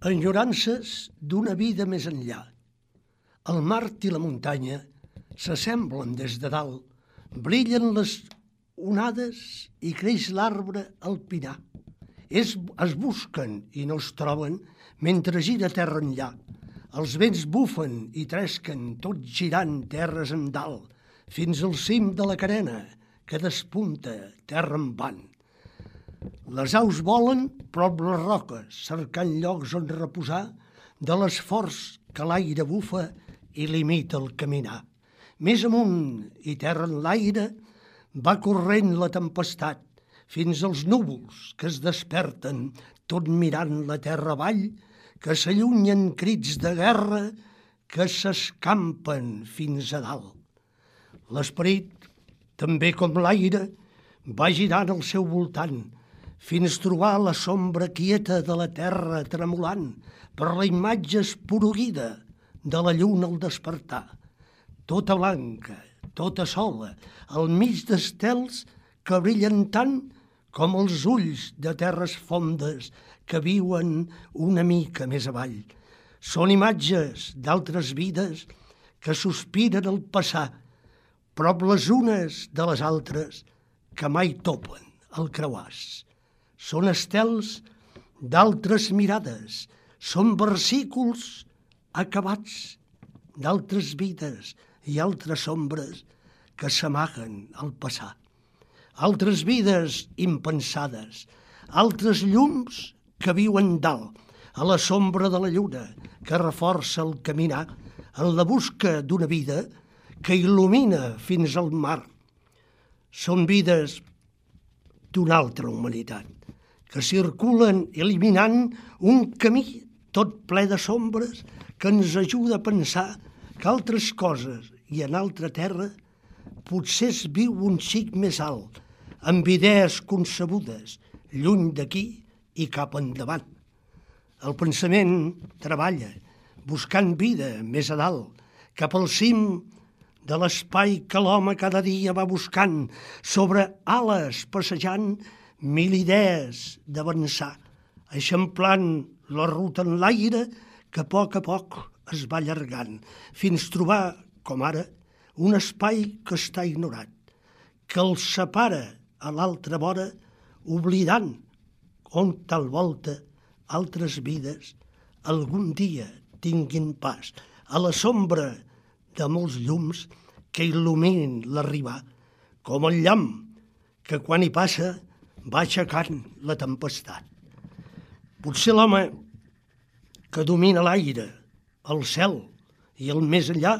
Enyorances d'una vida més enllà. El mar i la muntanya s'assemblen des de dalt, brillen les onades i creix l'arbre alpinar. Es busquen i no es troben mentre gira terra enllà. Els vents bufen i tresquen, tot girant terres en dalt, fins al cim de la carena que despunta terra en van. Les aus volen prop les roques, cercant llocs on reposar de l'esforç que l'aire bufa i limita el caminar. Més amunt i terra en l'aire va corrent la tempestat fins als núvols que es desperten tot mirant la terra avall, que s'allunyen crits de guerra que s'escampen fins a dalt. L'esperit, també com l'aire, va girant al seu voltant fins trobar la sombra quieta de la terra tremolant per la imatge esporuguida de la lluna al despertar. Tota blanca, tota sola, al mig d'estels que brillen tant com els ulls de terres fondes que viuen una mica més avall. Són imatges d'altres vides que sospiren al passar, prop les unes de les altres que mai topen el creuàs. Són estels d'altres mirades, són versículos acabats d'altres vides i altres ombres que s'amaguen al passar. Altres vides impensades, altres llums que viuen dalt, a la sombra de la lluna que reforça el caminar en la busca d'una vida que il·lumina fins al mar. Són vides d'una altra humanitat, que circulen eliminant un camí tot ple de sombres que ens ajuda a pensar que altres coses i en altra terra potser es viu un xic més alt, amb idees concebudes, lluny d'aquí i cap endavant. El pensament treballa, buscant vida més a dalt, cap al cim de l'espai que l'home cada dia va buscant, sobre ales passejant mil idees d'avançar, eixamplant la ruta en l'aire que a poc es va allargant, fins trobar, com ara, un espai que està ignorat, que el separa a l'altra vora, oblidant on tal volta altres vides algun dia tinguin pas a la sombra de molts llums que il·luminin l'arribar, com el llamp que quan hi passa va aixecant la tempestat. Potser l'home que domina l'aire, el cel i el més enllà,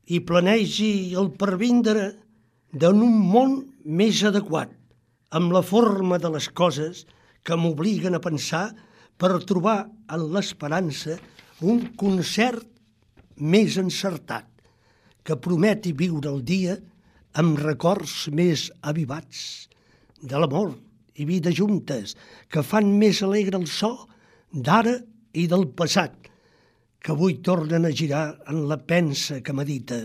i planegi el pervindre d'un món més adequat, amb la forma de les coses que m'obliguen a pensar per trobar en l'esperança un concert més encertat, que prometi viure el dia amb records més avivats de l'amor i vida juntes, que fan més alegre el so d'ara i del passat, que avui tornen a girar en la pensa que medita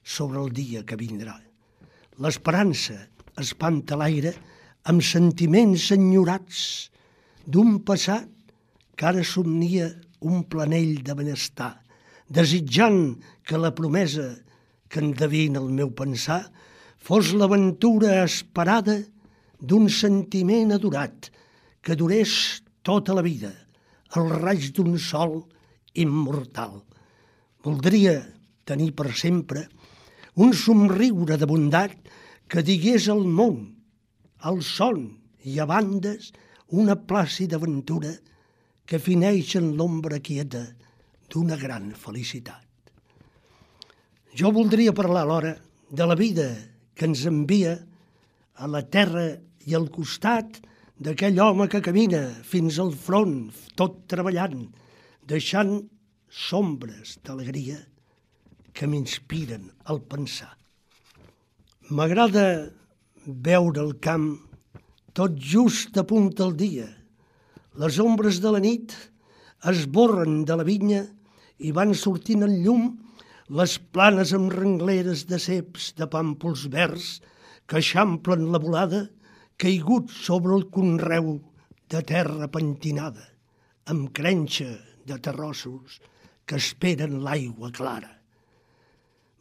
sobre el dia que vindrà. L'esperança espanta l'aire amb sentiments enyorats d'un passat que ara somnia un planell de benestar, desitjant que la promesa que endevina el meu pensar fos l'aventura esperada d'un sentiment adorat que durés tota la vida, el raig d'un sol immortal. Voldria tenir per sempre un somriure de bondat que digués al món, al son i a bandes, una plàcida aventura que fineix en l'ombra quieta d'una gran felicitat. Jo voldria parlar alhora de la vida que ens envia a la terra i al costat d'aquell home que camina fins al front, tot treballant, deixant sombres d'alegria que m'inspiren al pensar. M'agrada veure el camp tot just a punt del dia. Les ombres de la nit esborren de la vinya i van sortint en llum les planes amb rengleres de ceps de pàmpols verds que eixamplen la volada caigut sobre el conreu de terra pentinada, amb crenxa de terrossos que esperen l'aigua clara.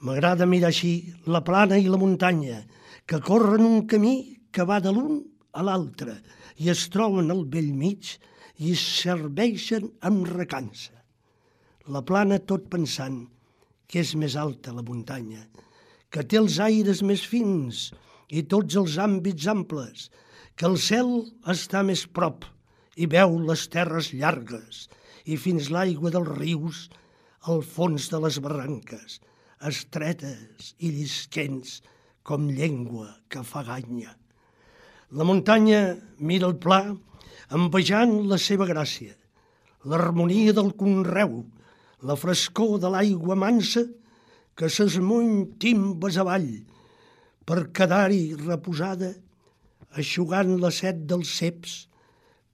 M'agrada mirar així la plana i la muntanya, que corren un camí que va de l'un a l'altre i es troben al bell mig i es serveixen amb recança. La plana tot pensant que és més alta la muntanya, que té els aires més fins i tots els àmbits amples, que el cel està més prop i veu les terres llargues i fins l'aigua dels rius al fons de les barranques, estretes i llisquents com llengua que fa ganya. La muntanya mira el pla envejant la seva gràcia, l'harmonia del conreu, la frescor de l'aigua mansa que s'esmuny timbes avall per quedar-hi reposada, eixugant la set dels ceps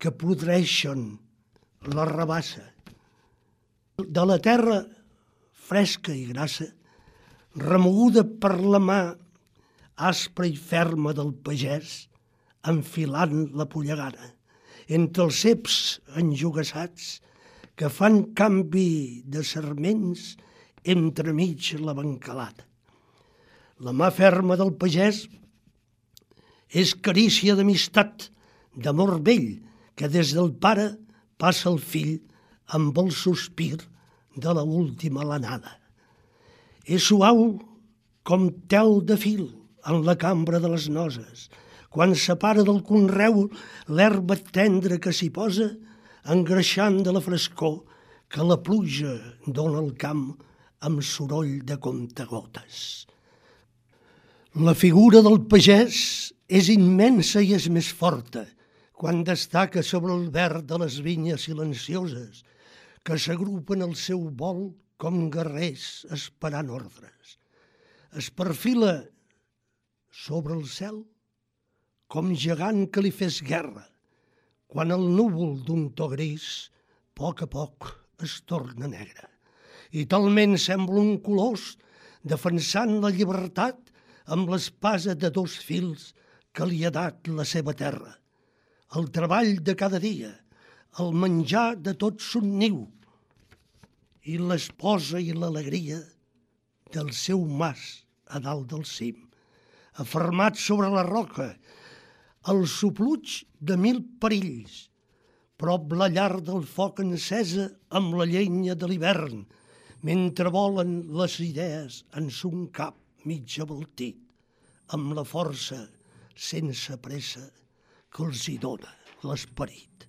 que podreixen la rabassa. De la terra fresca i grassa, remoguda per la mà aspra i ferma del pagès, enfilant la pollegana, entre els ceps enjugassats que fan canvi de sarments entremig la bancalada. La mà ferma del pagès és carícia d'amistat, d'amor vell, que des del pare passa el fill amb el sospir de la última alenada. És suau com tel de fil en la cambra de les noses, quan separa del conreu l'herba tendra que s'hi posa, engreixant de la frescor que la pluja dona al camp amb soroll de comptagotes. La figura del pagès és immensa i és més forta quan destaca sobre el verd de les vinyes silencioses que s'agrupen al seu vol com guerrers esperant ordres. Es perfila sobre el cel com gegant que li fes guerra, quan el núvol d'un to gris poc a poc es torna negre. I talment sembla un colós defensant la llibertat amb l'espasa de dos fils que li ha dat la seva terra. El treball de cada dia, el menjar de tot son niu i l'esposa i l'alegria del seu mas a dalt del cim, afermat sobre la roca, el sopluig de mil perills, prop la llar del foc encesa amb la llenya de l'hivern, mentre volen les idees en son cap mig abaltit, amb la força sense pressa que els hi dona l'esperit.